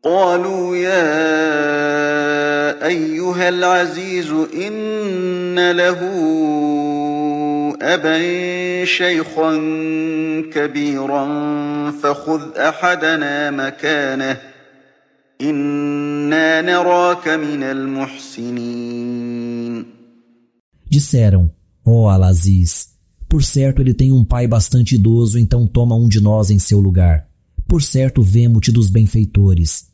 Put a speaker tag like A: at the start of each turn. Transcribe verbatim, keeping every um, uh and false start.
A: قالوا يا أيها العزيز إن له أبا شيخا كبيرا فخذ أحدنا مكانه إنا نراك من المحسنين.
B: Disseram: ó Al-Aziz, por certo ele tem um pai bastante idoso, então toma um de nós em seu lugar. Por certo vemo-te dos benfeitores.